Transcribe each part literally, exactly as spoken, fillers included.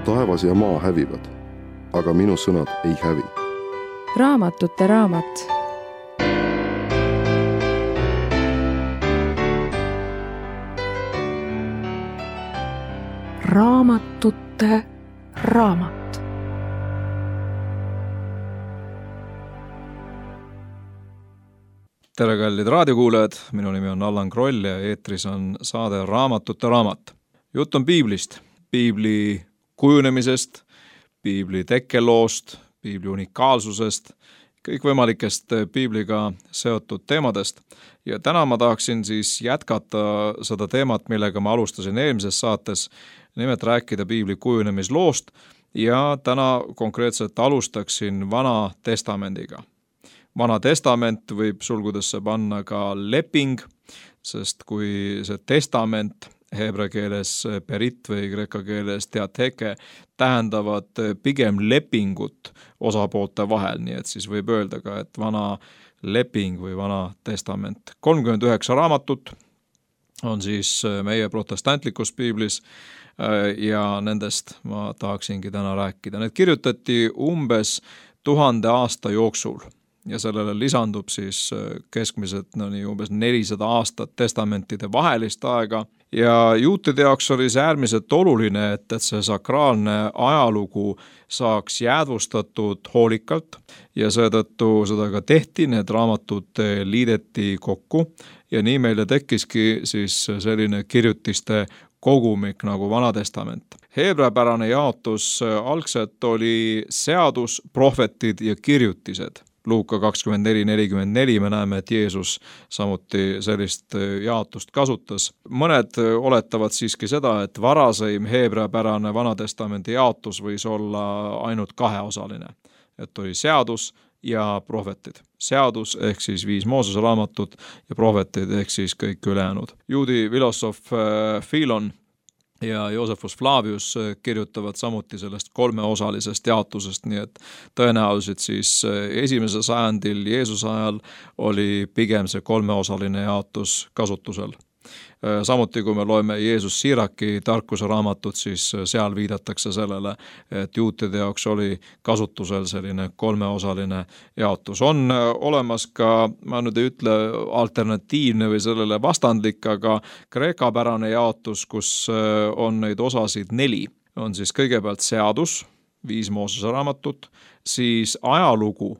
taevas ja maa hävivad, aga minu sõnad ei hävi. Raamatute raamat. Raamatute raamat. Tere, kallid raadiokuulajad, minu nimi on Allan Kroll ja eetris on saade Raamatute raamat. Jutt on piiblist, piibli kujunemisest, piibli tekkeloost, piibli unikaalsusest, kõikvõimalikest piibliga seotud teemadest. Ja täna ma tahaksin siis jätkata seda teemat, millega ma alustasin eelmises saates, nimelt rääkida piibli kujunemisloost ja täna konkreetselt alustaksin Vana Testamendiga. Vana testament võib sulgudesse panna ka leping, sest kui see testament heebrea keeles perit või kreeka keeles teateke tähendavad pigem lepingut osapoolte vahel, nii et siis võib öelda ka, et vana leping või vana testament. kolmkümmend üheksa raamatut on siis meie protestantlikus piiblis ja nendest ma tahaksingi täna rääkida. Need kirjutati umbes tuhande aasta jooksul. Ja sellele lisandub siis keskmiselt no nii umbes nelisada aastat testamentide vahelist aega. Ja juutide jaoks oli see äärmiselt oluline, et, et see sakraalne ajalugu saaks jäädvustatud hoolikalt ja seetõttu seda ka tehti, need raamatud liideti kokku ja nii meile tekkiski siis selline kirjutiste kogumik nagu Vana Testament. Heebreapärane jaotus algselt oli seadus, prohvetid ja kirjutised. Luuka kakskümmend neli nelikümmend neli me näeme, et Jeesus samuti sellist jaotust kasutas. Mõned oletavad siiski seda, et varaseim heebreapärane Vana Testamendi jaotus võis olla ainult kaheosaline. Et oli seadus ja prohvetid. Seadus ehk siis viis Moosese raamatut ja prohvetid ehk siis kõik ülejäänud. Juudi filosoof Philon ja Josephus Flavius kirjutavad samuti sellest kolmeosalisest jaotusest, nii et tõenäoliselt siis esimesel sajandil Jeesuse ajal oli pigem see kolmeosaline jaotus kasutusel. Samuti kui me loeme Jeesus Siraki tarkuse raamatut, siis seal viidatakse sellele, et juutide jaoks oli kasutusel selline kolmeosaline jaotus. On olemas ka, ma nüüd ei ütle alternatiivne või sellele vastandlik, aga kreekapärane jaotus, kus on neid osasid neli. On siis kõigepealt seadus, viis Moosese raamatut, siis ajalugu,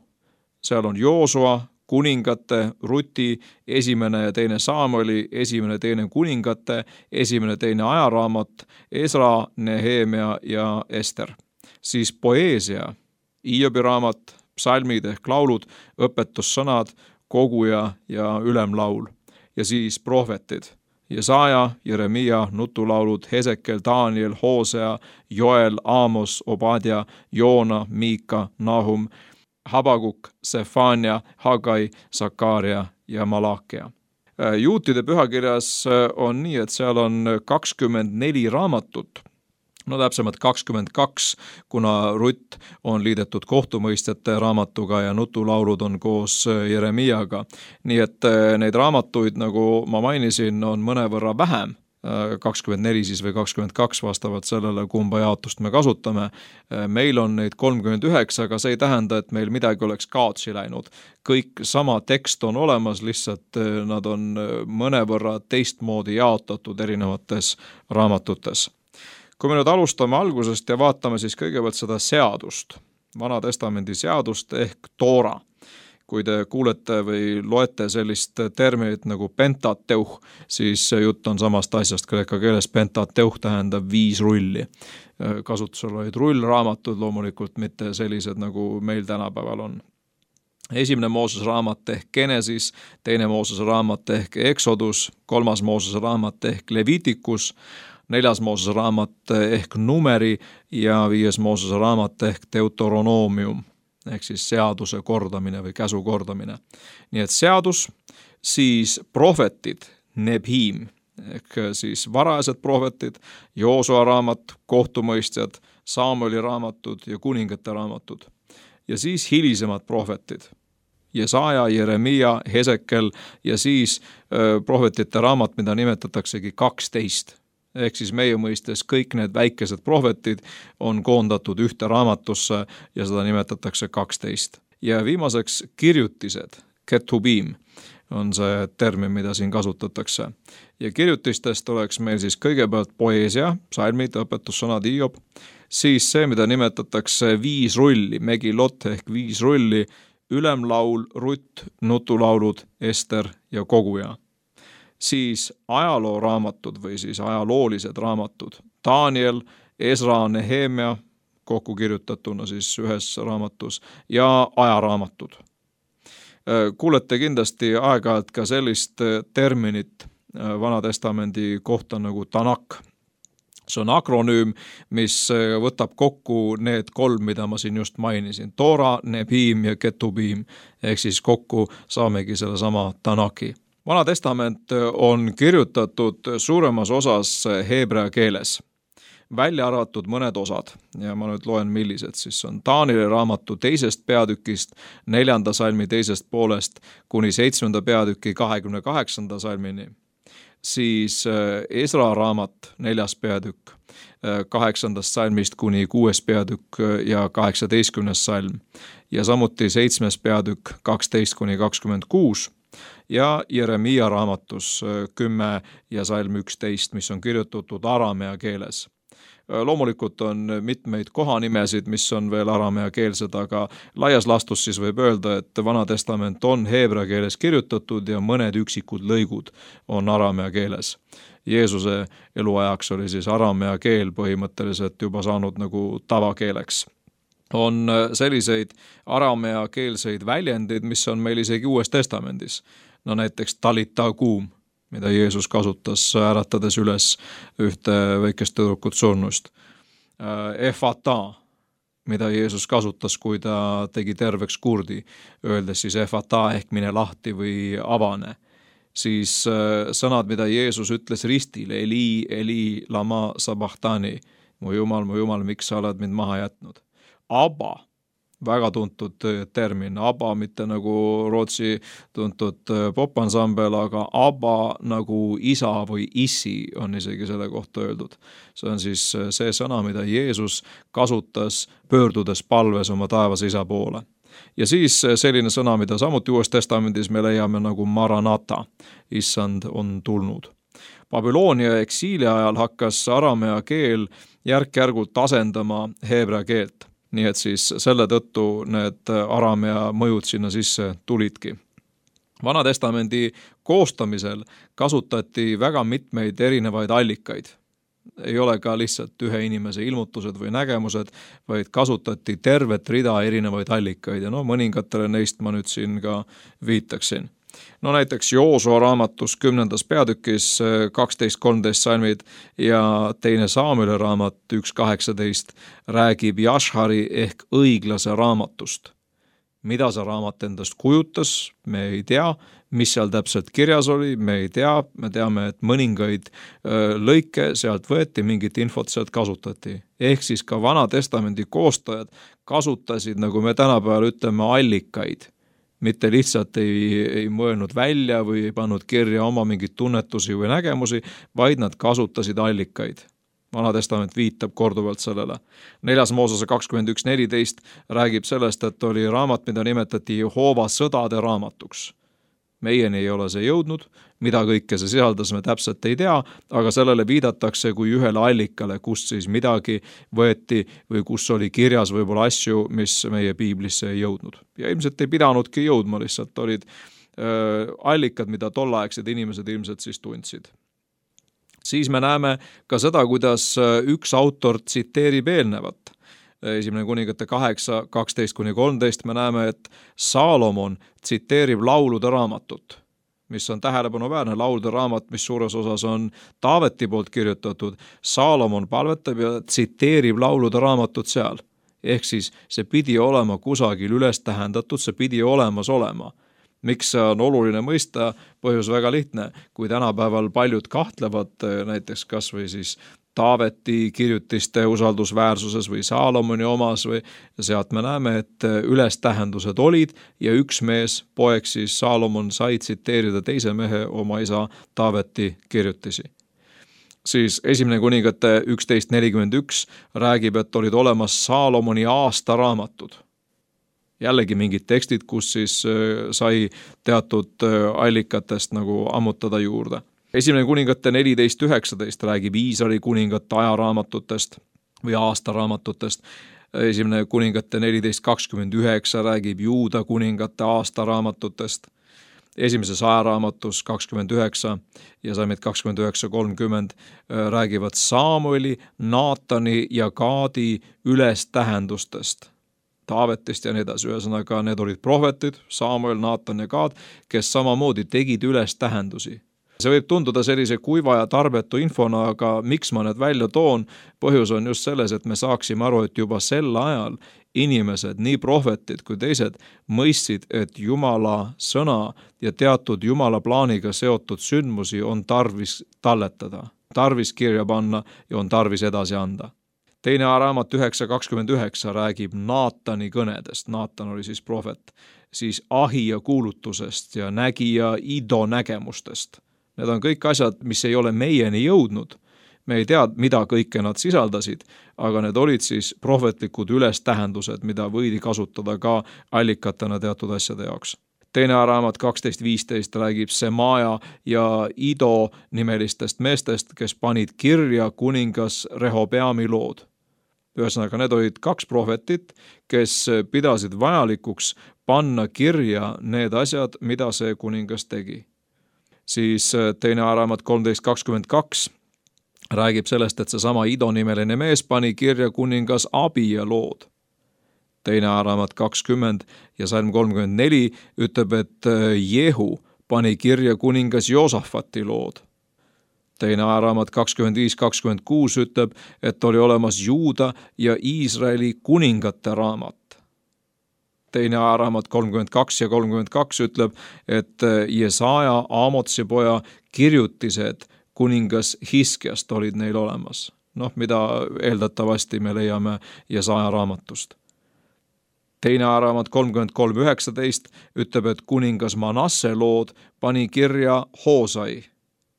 seal on Joosua, kuningate, Ruti, esimene ja teine Saamoli, esimene teine kuningate, esimene teine ajaraamat, Esra, Nehemia ja Ester. Siis poeesia, Hiobi raamat, psalmid ehk laulud, õpetussõnad, koguja ja ülemlaul. Ja siis prohvetid, Jesaja, Jeremia, nutulaulud, Hesekel, Daniel, Hosea, Joel, Aamos, Obadja, Joona, Miika, Nahum, Habakuk, Sefania, Hagai, Sakaaria ja Malakia. Juutide pühakirjas on nii, et seal on kakskümmend neli raamatut, no täpsemalt kakskümmend kaks, kuna Rutt on liidetud kohtumõistjate raamatuga ja nutulaulud on koos Jeremiaga. Nii et neid raamatuid, nagu ma mainisin, on mõnevõrra vähem. kakskümmend neli siis või kakskümmend kaks vastavalt sellele, kumba jaotust me kasutame. Meil on neid kolmkümmend üheksa, aga see ei tähenda, et meil midagi oleks kaotsi läinud. Kõik sama tekst on olemas, lihtsalt nad on mõnevõrra teistmoodi jaotatud erinevates raamatutes. Kui me nüüd alustame algusest ja vaatame siis kõigepealt seda seadust, Vana Testamendi seadust ehk Toora. Kui te kuulete või loete sellist terminit nagu pentateuh, siis jutt on samast asjast kreeka keeles. Pentateuh tähendab viis rulli. Kasutusel olid rullraamatud, loomulikult mitte sellised, nagu meil tänapäeval on. Esimene Moosese raamat ehk Genesis, teine Moosese raamat ehk Exodus, kolmas Moosese raamat ehk Levitikus, neljas Moosese raamat ehk Numeri ja viies Moosese raamat ehk Deuteronomium. Ehk siis seaduse kordamine või käsu kordamine. Nii et seadus, siis prohvetid, Nebhim, ehk siis varajased prohvetid, Joosua raamat, kohtumõistjad, Saamoli raamatud ja kuningate raamatud. Ja siis hilisemad prohvetid, Jesaja, Jeremia, Hesekel ja siis äh, prohvetite raamat, mida nimetataksegi kaksteist. ehk siis meie mõistes kõik need väikesed prohvetid on koondatud ühte raamatusse ja seda nimetatakse kaksteist. Ja viimaseks kirjutised, ketubim, on see termin, mida siin kasutatakse. Ja kirjutistest oleks meil siis kõigepealt poeesia, psalmid, õpetussõnad, Hiob, siis see, mida nimetatakse viis rulli, megilot ehk viis rulli, ülemlaul, rutt, nutulaulud, Ester ja koguja. Siis ajalooraamatud või siis ajaloolised raamatud, Daniel, Esra, Nehemia, kokku kirjutatuna siis ühes raamatus, ja ajaraamatud. Kuulete kindlasti aeg-ajalt ka sellist terminit Vana-testamendi kohta nagu Tanak. See on akronüüm, mis võtab kokku need kolm, mida ma siin just mainisin. Toora, Nebim ja Ketubim, ehk siis kokku saamegi selle sama Tanaki. Vana-testament on kirjutatud suuremas osas heebrea keeles, välja arvatud mõned osad, ja ma nüüd loen, millised siis on Danieli raamatu teisest peatükist, neljanda salmi teisest poolest kuni seitsmenda peatüki kahekümne kaheksanda salmini, siis Esra raamat neljas peatükk, kaheksandast salmist kuni kuues peatükk ja kaheksateistkümnes salm, ja samuti seitsmes peatükk kaksteist kuni kakskümmend kuus, ja Jeremia raamatus kümme ja salm üksteist, mis on kirjutatud aramea keeles. Loomulikult on mitmeid kohanimesid, mis on veel aramea keelsed, aga laias laastus siis võib öelda, et Vana-testament on heebrea keeles kirjutatud ja mõned üksikud lõigud on aramea keeles. Jeesuse eluajaks oli siis aramea keel põhimõtteliselt juba saanud nagu tavakeeleks. On selliseid aramea keelseid väljendid, mis on meil isegi Uues testamendis. No näiteks talita kuum, mida Jeesus kasutas äratades üles ühte väikest tüdrukut surnust. Efata, mida Jeesus kasutas, kui ta tegi terveks kurdi, öeldes siis efata ehk mine lahti või avane. Siis sõnad, mida Jeesus ütles ristil, Eli, Eli, lama sabahtani, mu Jumal, mu Jumal, miks sa oled mind maha jätnud. Abba, väga tuntud termin, Abba mitte nagu Rootsi tuntud popansambel, aga Abba nagu isa või issi on isegi selle kohta öeldud. See on siis see sõna, mida Jeesus kasutas pöördudes palves oma taevas isa poole. Ja siis selline sõna, mida samuti Uues testamendis me leiame nagu Maranata, issand on tulnud. Babyloonia eksiili ajal hakkas aramea keel järk-järgult asendama heebrea keelt. Nii et siis selle tõttu need aramea mõjud sinna sisse tulidki. Vana-testamendi koostamisel kasutati väga mitmeid erinevaid allikaid. Ei ole ka lihtsalt ühe inimese ilmutused või nägemused, vaid kasutati tervet rida erinevaid allikaid ja no mõningatele neist ma nüüd siin ka viitaksin. No näiteks Joosua raamatus kümnendas peatükis kaksteist kolmteist salmid ja teine Saamüeli raamat üks kaheksateist räägib Jashari ehk õiglase raamatust. Mida see raamat endast kujutas, me ei tea, mis seal täpselt kirjas oli, me ei tea, me teame, et mõningaid lõike sealt võeti, mingit infot sealt kasutati. Ehk siis ka Vana-testamendi koostajad kasutasid, nagu me tänapäeval ütleme, allikaid. Mitte lihtsalt ei, ei mõelnud välja või ei pannud kirja oma mingid tunnetusi või nägemusi, vaid nad kasutasid allikaid. Vana-testament viitab korduvalt sellele. Neljas Moosese kakskümmend üks neliteist räägib sellest, et oli raamat, mida nimetati Jehova sõdade raamatuks. Meieni ei ole see jõudnud, mida kõike see sisaldas, me täpselt ei tea, aga sellele viidatakse kui ühele allikale, kust siis midagi võeti või kus oli kirjas võib-olla asju, mis meie piiblisse ei jõudnud. Ja ilmselt ei pidanudki jõudma, lihtsalt olid äh, allikad, mida tollaegsed inimesed ilmselt siis tundsid. Siis me näeme ka seda, kuidas üks autor tsiteerib eelnevat. Esimene kuningate kaheksa, kaksteist kuni kolmteist me näeme, et Saalomon tsiteerib laulude raamatut, mis on tähelepanuväärne laulude raamat, mis suures osas on Taaveti poolt kirjutatud. Saalomon palvetab ja tsiteerib laulude raamatut seal. Ehk siis see pidi olema kusagil üles tähendatud, see pidi olemas olema. Miks see on oluline mõista? Põhjus väga lihtne. Kui tänapäeval paljud kahtlevad näiteks kas või siis Taaveti kirjutiste usaldusväärsuses või Saalomoni omas või sealt me näeme, et ülestähendused olid ja üks mees, poeg siis Saalomon sai tsiteerida teise mehe oma isa Taaveti kirjutisi. siis esimene kuningate üksteist nelikümmend üks räägib, et olid olemas Saalomoni aastaraamatud. Jällegi mingid tekstid, kus siis sai teatud allikatest nagu ammutada juurde. Esimene kuningate neliteist üheksateist räägib Iisraeli kuningate ajaraamatutest või aastaraamatutest. Esimene kuningate neliteist kakskümmend üheksa räägib Juuda kuningate aastaraamatutest. Esimeses ajaraamatus kakskümmend üheksa ja Salmid kakskümmend üheksa kolmkümmend räägivad Saamueli, Naatani ja Gaadi ülestähendustest, Taavetist ja nii edasi. Ühesõnaga, need olid prohvetid, Saamuel, Naatan ja Gaad, kes samamoodi tegid ülestähendusi. See võib tunduda sellise kuiva ja tarbetu infona, aga miks ma need välja toon? Põhjus on just selles, et me saaksime aru, et juba sel ajal inimesed, nii prohvetid kui teised, mõistsid, et Jumala sõna ja teatud Jumala plaaniga seotud sündmusi on tarvis talletada, tarvis kirja panna ja on tarvis edasi anda. Teine raamat üheksa kakskümmend üheksa räägib Naatani kõnedest, Naatan oli siis prohvet, siis ahija kuulutusest ja nägija Ido nägemustest. Need on kõik asjad, mis ei ole meieni jõudnud. Me ei tea, mida kõike nad sisaldasid, aga need olid siis prohvetlikud ülestähendused, mida võidi kasutada ka allikatena teatud asjade jaoks. Teine raamat kaksteist viisteist räägib Semaja ja Ido nimelistest meestest, kes panid kirja kuningas Rehobeami lood. Ühesõnaga, need olid kaks prohvetit, kes pidasid vajalikuks panna kirja need asjad, mida see kuningas tegi. Siis teine raamat kolmteist kakskümmend kaks räägib sellest, et see sama Ido nimeline mees pani kirja kuningas Abija lood. Teine raamat kakskümmend ja Salm kolmkümmend neli ütleb, et Jehu pani kirja kuningas Joosafati lood. Teine raamat kakskümmend viis kakskümmend kuus ütleb, et oli olemas Juuda ja Iisraeli kuningate raamat. Teine raamat kolmkümmend kaks ja kolmkümmend kaks ütleb, et Jesaja, Aamotsi poja kirjutised kuningas Hiskiast olid neil olemas. Noh, mida eeldatavasti me leiame Jesaja raamatust. Teine raamat kolmkümmend kolm üheksateist ütleb, et kuningas Manasse lood pani kirja Hoosai.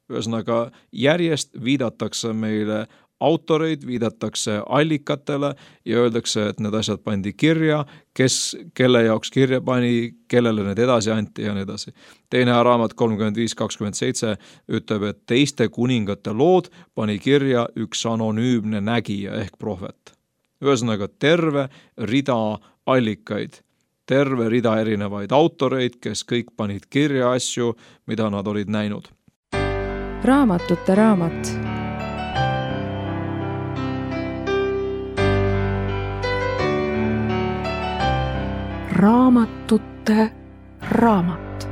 Ühesõnaga, järjest viidatakse meile autoreid, viidatakse allikatele ja öeldakse, et need asjad pandi kirja, kes, kelle jaoks kirja pani, kellele need edasi anti ja nii edasi. Teine raamat kolmkümmend viis kakskümmend seitse ütleb, et teiste kuningate lood pani kirja üks anonüümne nägija ehk prohvet. Ühesõnaga, terve rida allikaid, terve rida erinevaid autoreid, kes kõik panid kirja asju, mida nad olid näinud. Raamatute raamat. Raamatute raamat.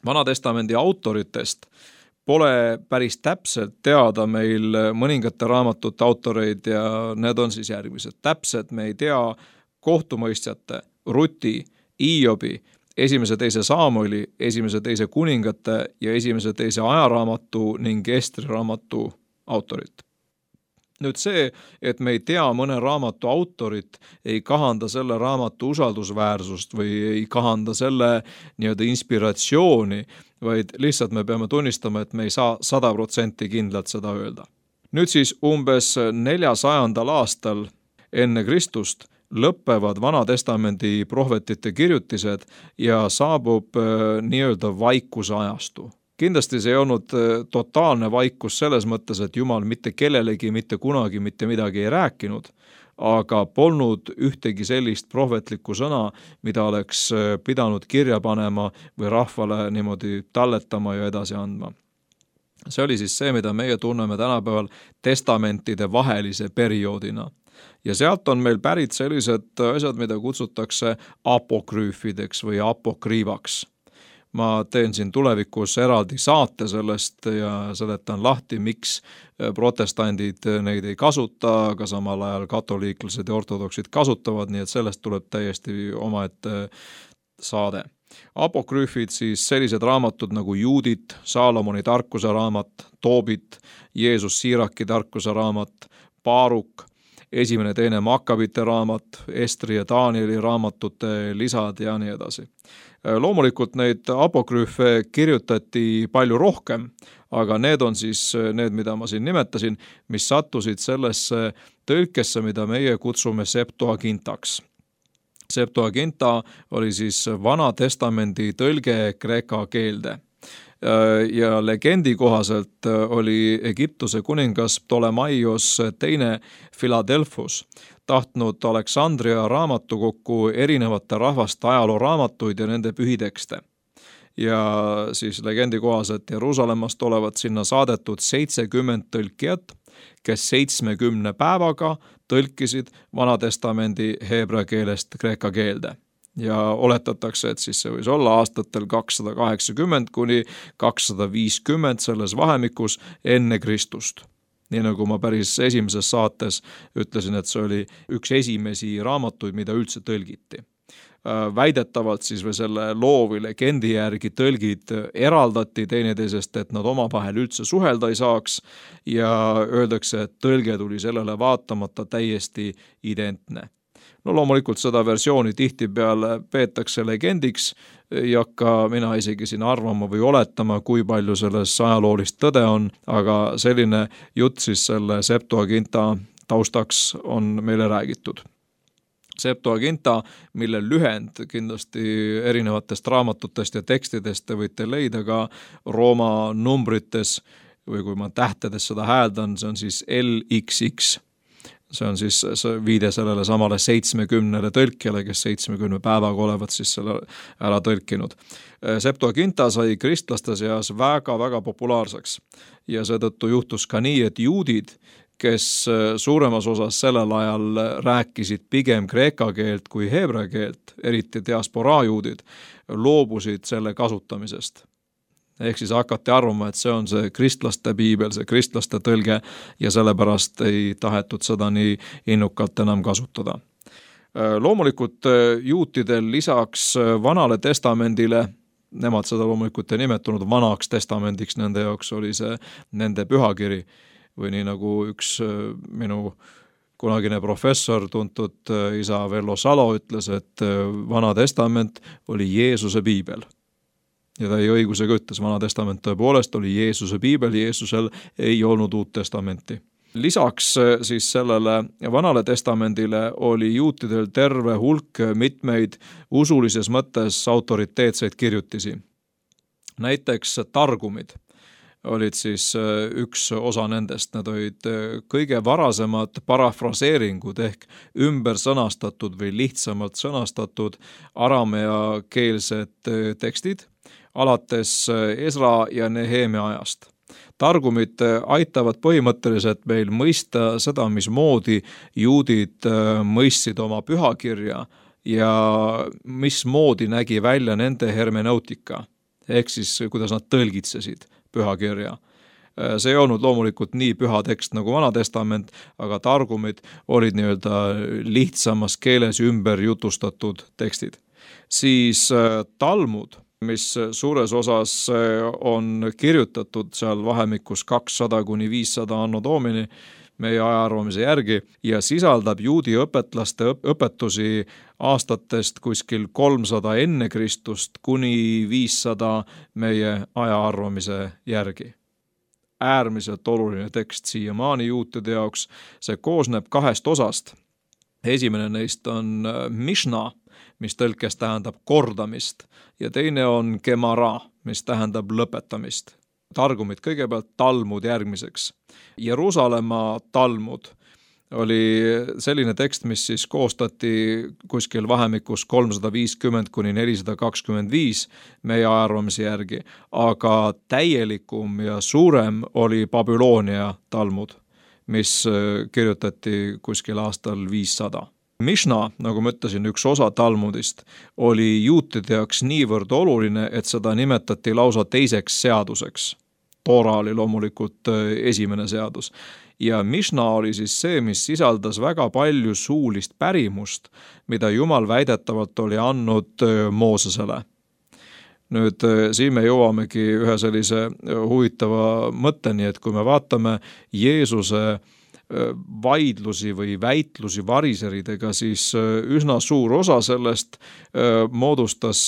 Vanatestamendi autoritest pole päris täpselt teada meil mõningate raamatute autoreid ja need on siis järgmised. Täpselt me ei tea kohtumõistjate, Ruti, Iobi, esimese teise Saamueli, esimese teise kuningate ja esimese teise ajaraamatu ning Estri raamatu autorit. Nüüd see, et me ei tea mõne raamatu autorit, ei kahanda selle raamatu usaldusväärsust või ei kahanda selle nii-öelda inspiratsiooni, vaid lihtsalt me peame tunnistama, et me ei saa sada protsenti kindlalt seda öelda. Nüüd siis umbes neljasajandal aastal enne Kristust lõppevad Vanatestamendi prohvetite kirjutised ja saabub nii-öelda vaikuse ajastu. Kindlasti see ei olnud totaalne vaikus selles mõttes, et Jumal mitte kellelegi, mitte kunagi, mitte midagi ei rääkinud, aga polnud ühtegi sellist prohvetlikku sõna, mida oleks pidanud kirja panema või rahvale niimoodi talletama ja edasi andma. See oli siis see, mida meie tunneme tänapäeval testamentide vahelise perioodina. Ja sealt on meil pärit sellised asjad, mida kutsutakse apokrüüfideks või apokriivaks. Ma teen siin tulevikus eraldi saate sellest ja seletan lahti, miks protestandid neid ei kasuta, aga samal ajal katoliiklased ja ortodoksid kasutavad, nii et sellest tuleb täiesti omaette saade. Apokrüüfid siis sellised raamatud nagu Juudit, Saalomoni tarkuse raamat, Toobit, Jeesus Siiraki tarkuse raamat, Baaruk, esimene, teine Makkabite raamat, Estri ja Danieli raamatute lisad ja nii edasi. Loomulikult neid apokrüüfe kirjutati palju rohkem, aga need on siis need, mida ma siin nimetasin, mis sattusid sellesse tõlkesse, mida meie kutsume Septuagintaks. Septuaginta oli siis Vana Testamendi tõlge kreeka keelde. Ja legendi kohaselt oli Egiptuse kuningas Ptolemaios teine Philadelphus tahtnud Aleksandria raamatukokku erinevate rahvaste ajalooraamatuid ja nende pühitekste. Ja siis legendi kohaselt Jeruusalemmast olevat sinna saadetud seitsekümmend tõlkijat, kes seitsmekümne päevaga tõlkisid Vana Testamendi heebrea keelest kreeka keelde. Ja oletatakse, et siis see võis olla aastatel kakssada kaheksakümmend kuni kakssada viiskümmend selles vahemikus enne Kristust. Nii nagu ma päris esimeses saates ütlesin, et see oli üks esimesi raamatuid, mida üldse tõlgiti. Väidetavalt siis või selle loo või legendi järgi tõlgid eraldati teineteisest, et nad omavahel üldse suhelda ei saaks ja öeldakse, et tõlge tuli sellele vaatamata täiesti identne. No loomulikult seda versiooni tihtipeale peetakse legendiks, ei hakka mina isegi siin arvama või oletama, kui palju selles ajaloolist tõde on, aga selline jutt siis selle Septuaginta taustaks on meile räägitud. Septuaginta, mille lühend kindlasti erinevatest raamatutest ja tekstidest te võite leida ka Rooma numbrites või kui ma tähtedes seda hääldan, see on siis L X X. See on siis viide sellele samale seitsmekümnele tõlkjale, kes seitsmekümne päevaga olevat siis selle ära tõlkinud. Septuaginta sai kristlaste seas väga-väga populaarseks ja seetõttu juhtus ka nii, et juudid, kes suuremas osas sellel ajal rääkisid pigem kreeka keelt kui heebrea keelt, eriti diasporaa juudid, loobusid selle kasutamisest. Ehk siis hakati arvama, et see on see kristlaste piibel, see kristlaste tõlge ja sellepärast ei tahetud seda nii innukalt enam kasutada. Loomulikult juutidel lisaks Vanale Testamendile, nemad seda loomulikult ei nimetanud Vanaks Testamendiks, nende jaoks oli see nende pühakiri või nii nagu üks minu kunagine professor, tuntud isa Vello Salo ütles, et Vana Testament oli Jeesuse piibel. Ja ta ei õigusega ütles, Vana Testament tõepoolest oli Jeesuse piibel, Jeesusel ei olnud uut testamenti. Lisaks siis sellele Vanale Testamendile oli juutidel terve hulk mitmeid usulises mõttes autoriteetseid kirjutisi. Näiteks targumid olid siis üks osa nendest, need olid kõige varasemad parafraseeringud ehk ümber sõnastatud või lihtsamalt sõnastatud aramea keelsed tekstid, alates Esra ja Nehemia ajast. Targumid aitavad põhimõtteliselt meil mõista seda, mismoodi juudid mõistsid oma pühakirja ja mismoodi nägi välja nende hermeneutika, ehk siis kuidas nad tõlgitsesid pühakirja. See ei olnud loomulikult nii püha tekst nagu Vana Testament, aga targumid olid nii-öelda lihtsamas keeles ümber jutustatud tekstid. Siis talmud, mis suures osas on kirjutatud seal vahemikus kakssada kuni viissada anno domini meie ajaarvamise järgi ja sisaldab juudi õpetlaste õpetusi aastatest kuskil kolmsada enne Kristust kuni viissada meie ajaarvamise järgi. Äärmiselt oluline tekst siiamaani juutide jaoks, see koosneb kahest osast. Esimene neist on Mishna, mis tõlkes tähendab kordamist, ja teine on Gemara, mis tähendab lõpetamist. Targumid kõigepealt, talmud järgmiseks. Jeruusalemma talmud oli selline tekst, mis siis koostati kuskil vahemikus kolmsada viiskümmend kuni nelisada kakskümmend viis meie ajaarvamise järgi, aga täielikum ja suurem oli Babyloonia talmud, mis kirjutati kuskil aastal viissada. Mishna, nagu ma ütlesin, üks osa talmudist, oli juutide jaoks niivõrd oluline, et seda nimetati lausa teiseks seaduseks. Toora oli loomulikult esimene seadus. Ja Mishna oli siis see, mis sisaldas väga palju suulist pärimust, mida Jumal väidetavalt oli andnud Moosesele. Nüüd siin me jõuamegi ühe sellise huvitava mõtteni, et kui me vaatame Jeesuse vaidlusi või väitlusi variseridega, siis üsna suur osa sellest moodustas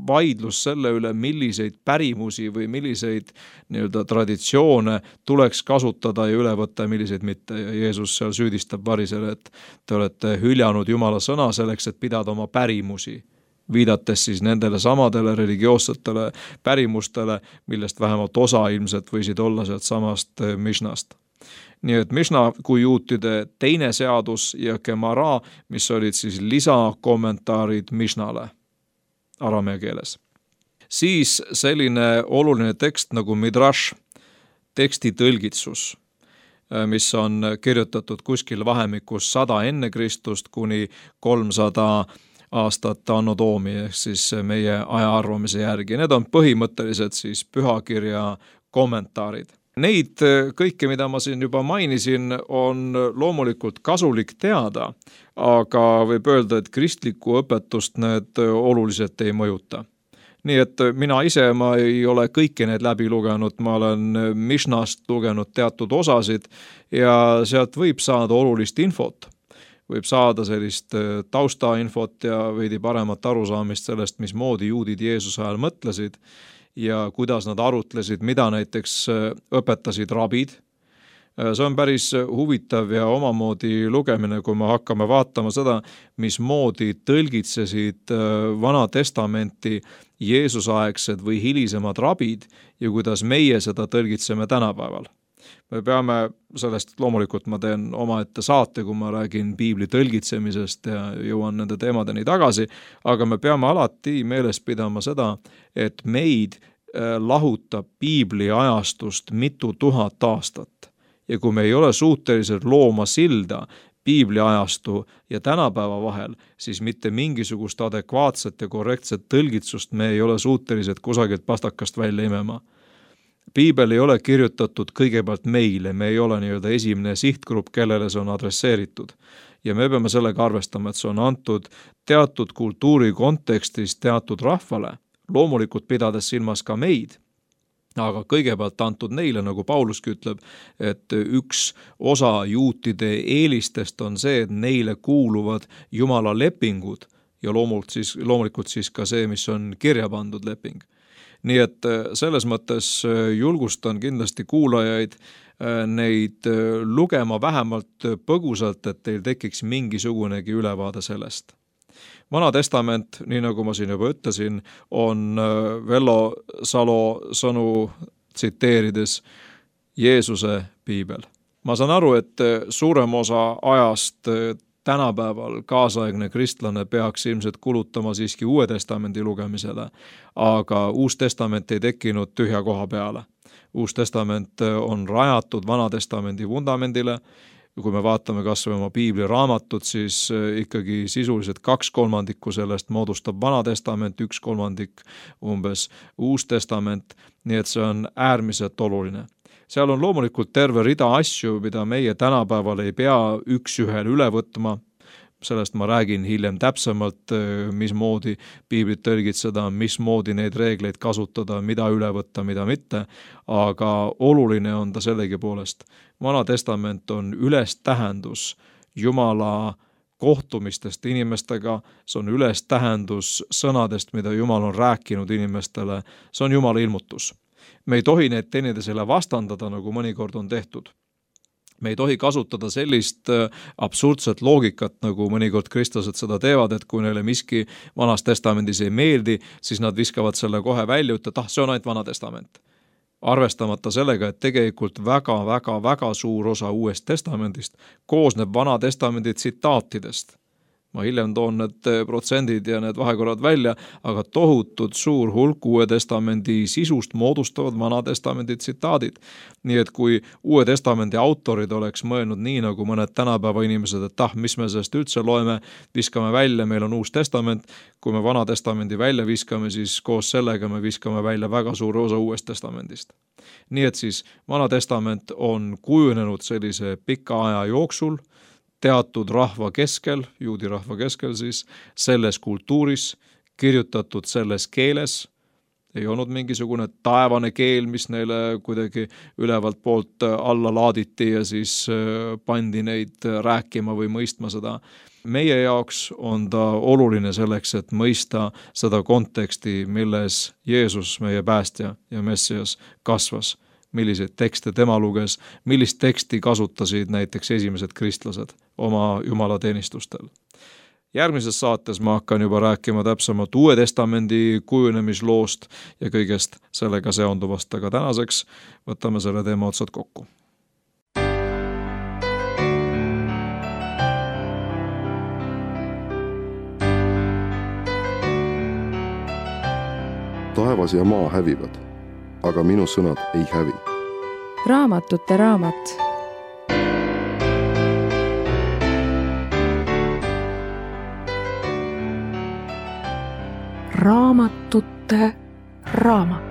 vaidlus selle üle, milliseid pärimusi või milliseid nii-öelda traditsioone tuleks kasutada ja üle võtta ja milliseid mitte. Ja Jeesus seal süüdistab varisele, et te olete hüljanud Jumala sõna selleks, et pidada oma pärimusi, viidates siis nendele samadele religioossetele pärimustele, millest vähemalt osa ilmselt võisid olla sealt samast Mishnast. Nii et Mishna kui juutide teine seadus ja Gemara, mis olid siis lisakommentaarid Mishnale aramea keeles. Siis selline oluline tekst nagu Midrash, teksti tõlgitsus, mis on kirjutatud kuskil vahemikus sada enne Kristust kuni kolmsada aastat anno doomi, ehk siis meie aja arvamise järgi. Need on põhimõtteliselt siis pühakirja kommentaarid. Neid kõike, mida ma siin juba mainisin, on loomulikult kasulik teada, aga võib öelda, et kristlikku õpetust need oluliselt ei mõjuta. Nii et mina ise, ma ei ole kõiki need läbi lugenud, ma olen Mishnast lugenud teatud osasid ja sealt võib saada olulist infot. Võib saada sellist taustainfot ja veidi paremat arusaamist sellest, mismoodi juudid Jeesuse ajal mõtlesid ja kuidas nad arutlesid, mida näiteks õpetasid rabid. See on päris huvitav ja omamoodi lugemine, kui me hakkame vaatama seda, mismoodi tõlgitsesid Vana Testamenti Jeesusaegsed või hilisemad rabid ja kuidas meie seda tõlgitseme tänapäeval. Me peame sellest, loomulikult ma teen omaette saate, kui ma räägin piibli tõlgitsemisest ja jõuan nende teemadeni tagasi, aga me peame alati meeles pidama seda, et meid lahutab piibli ajastust mitu tuhat aastat. Ja kui me ei ole suutelised looma silda piibli ajastu ja tänapäeva vahel, siis mitte mingisugust adekvaatset ja korrektset tõlgitsust me ei ole suutelised kusagilt pastakast välja imema. Piibel ei ole kirjutatud kõigepealt meile, me ei ole nii-öelda esimene sihtgrupp, kellele see on adresseeritud. Ja me peame sellega arvestama, et see on antud teatud kultuuri kontekstis teatud rahvale, loomulikult pidades silmas ka meid, aga kõigepealt antud neile, nagu Pauluski ütleb, et üks osa juutide eelistest on see, et neile kuuluvad Jumala lepingud ja loomulikult siis, loomulikult siis ka see, mis on kirja pandud leping. Nii et selles mõttes julgustan kindlasti kuulajaid neid lugema vähemalt põgusalt, et teil tekiks mingisugunegi ülevaade sellest. Vana Testament, nii nagu ma siin juba ütlesin, on Vello Salo sõnu tsiteerides Jeesuse piibel. Ma saan aru, et suurem osa ajast tänapäeval kaasaegne kristlane peaks ilmselt kulutama siiski Uue Testamendi lugemisele, aga Uus Testament ei tekkinud tühja koha peale. Uus Testament on rajatud Vana Testamendi vundamendile. Kui me vaatame kas või oma piibliraamatut, siis ikkagi sisuliselt kaks kolmandikku sellest moodustab Vana Testament, üks kolmandik umbes Uus Testament, nii et see on äärmiselt oluline. Seal on loomulikult terve rida asju, mida meie tänapäeval ei pea üks ühel üle võtma. Sellest ma räägin hiljem täpsemalt, mismoodi piiblit tõlgitseda, mismoodi neid reegleid kasutada, mida üle võtta, mida mitte, aga oluline on ta sellegi poolest. Vana Testament on üles tähendus Jumala kohtumistest inimestega, see on üles tähendus sõnadest, mida Jumal on rääkinud inimestele, see on Jumala ilmutus. Me ei tohi neid teineteisele vastandada, nagu mõnikord on tehtud. Me ei tohi kasutada sellist absurdset loogikat, nagu mõnikord kristlased seda teevad, et kui neile miski Vanas Testamendis ei meeldi, siis nad viskavad selle kohe välja, ütlevad, ah, see on ainult Vana Testament. Arvestamata sellega, et tegelikult väga, väga, väga suur osa Uuest Testamendist koosneb Vana Testamendi tsitaatidest. Ma hiljem toon need protsendid ja need vahekorrad välja, aga tohutud suur hulk Uue Testamendi sisust moodustavad Vana Testamendi tsitaadid. Nii et kui Uue Testamendi autorid oleks mõelnud nii, nagu mõned tänapäeva inimesed, et ah, mis me sellest üldse loeme, viskame välja, meil on Uus Testament, kui me Vana Testamendi välja viskame, siis koos sellega me viskame välja väga suure osa Uuest Testamendist. Nii et siis Vana Testament on kujunenud sellise pika aja jooksul, teatud rahva keskel, juudi rahva keskel siis, selles kultuuris, kirjutatud selles keeles ei olnud mingisugune taevane keel, mis neile kuidagi ülevalt poolt alla laaditi ja siis pandi neid rääkima või mõistma seda. Meie jaoks on ta oluline selleks, et mõista seda konteksti, milles Jeesus, meie päästja ja Messias, kasvas. Milliseid tekste tema luges, millist teksti kasutasid näiteks esimesed kristlased oma jumalateenistustel. Järgmises saates ma hakkan juba rääkima täpsemalt Uue Testamendi kujunemisloost ja kõigest sellega seonduvast, aga tänaseks võtame selle teema otsad kokku. Taevas ja maa hävivad, aga minu sõnad ei hävi. Raamatute raamat. Raamatute raamat.